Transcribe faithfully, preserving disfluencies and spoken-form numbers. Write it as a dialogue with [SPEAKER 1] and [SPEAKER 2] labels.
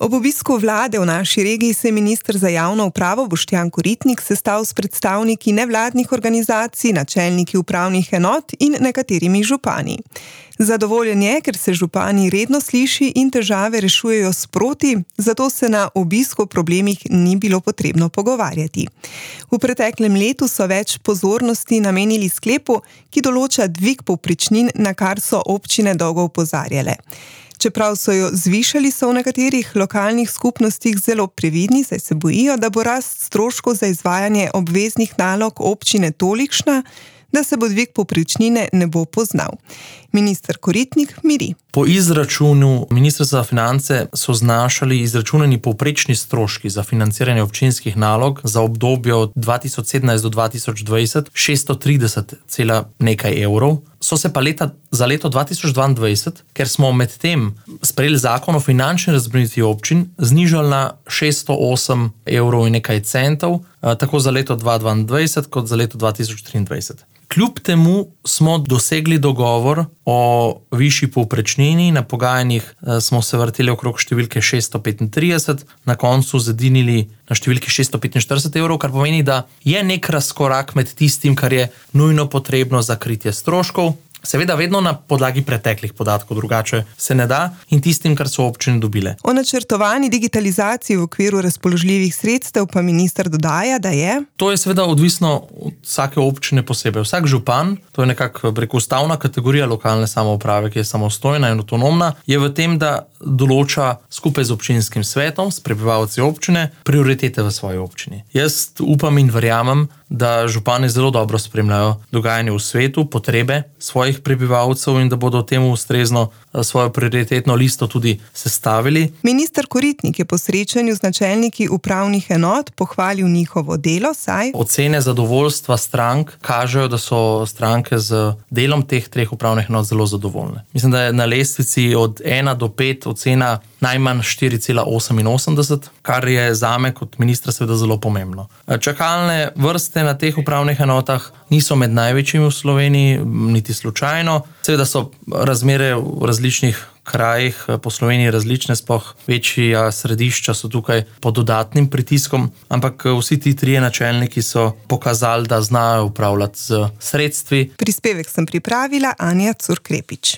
[SPEAKER 1] Ob obisku vlade v naši regiji se je minister za javno upravo Boštjan Koritnik sestal s predstavniki nevladnih organizacij, načelniki upravnih enot in nekaterimi župani. Zadovoljen je, ker se župani redno sliši in težave rešujejo sproti, zato se na obisku o problemih ni bilo potrebno pogovarjati. V preteklem letu so več pozornosti namenili sklepu, ki določa dvig povprečnin, na kar so občine dolgo opozarjale. Čeprav so jo zvišali, so v nekaterih lokalnih skupnostih zelo previdni, saj se bojijo, da bo rast stroškov za izvajanje obveznih nalog občine tolikšna, da se bo dvig povprečnine ne bo poznal. Minister Koritnik miri.
[SPEAKER 2] Po izračunu Ministrstva za finance so znašali izračunani povprečni stroški za financiranje občinskih nalog za obdobje od dva tisoč sedemnajst do dva tisoč dvajset šeststo trideset cela nekaj evrov. So se pa leta, za leto dva tisoč dvaindvajset, ker smo med tem sprejeli zakon o finančni razbremenitvi občin, znižali na šeststo osem evrov in nekaj centov, tako za leto dva tisoč dvaindvajset kot za leto dva tisoč triindvajset. Kljub temu smo dosegli dogovor o višji povprečnini, na pogajanjih smo se vrteli okrog številke šeststo petintrideset, na koncu zedinili na številki šeststo petinštirideset evrov, kar pomeni, da je nek razkorak med tistim, kar je nujno potrebno za kritje stroškov, seveda vedno na podlagi preteklih podatkov, drugače se ne da, in tistim, kar so občine dobile.
[SPEAKER 1] O načrtovani digitalizaciji v okviru razpoložljivih sredstev pa minister dodaja, da je...
[SPEAKER 2] To je seveda odvisno od vsake občine posebej. Vsak župan, to je nekako preko ustavna kategorija lokalne samouprave, ki je samostojna in avtonomna, je v tem, da določa skupaj z občinskim svetom, s prebivalci občine, prioritete v svoji občini. Jaz upam in verjamem, da župani zelo dobro spremljajo dogajanje v svetu, potrebe svojih prebivalcev in da bodo temu ustrezno svojo prioritetno listo tudi sestavili.
[SPEAKER 1] Minister Koritnik je po srečanju z načelniki upravnih enot pohvalil njihovo delo, saj...
[SPEAKER 2] Ocene zadovoljstva strank kažejo, da so stranke z delom teh treh upravnih enot zelo zadovoljne. Mislim, da je na lestvici od ena do pet ocena najmanj štiri cela oseminosemdeset, kar je zame kot ministra seveda zelo pomembno. Čakalne vrste na teh upravnih enotah niso med največjimi v Sloveniji, niti slučajno. Seveda so razmere v različnih krajih po Sloveniji različne, sploh večja središča so tukaj pod dodatnim pritiskom, ampak vsi ti trije načelniki so pokazali, da znajo upravljati z sredstvi.
[SPEAKER 1] Prispevek sem pripravila Anja Curkrepič.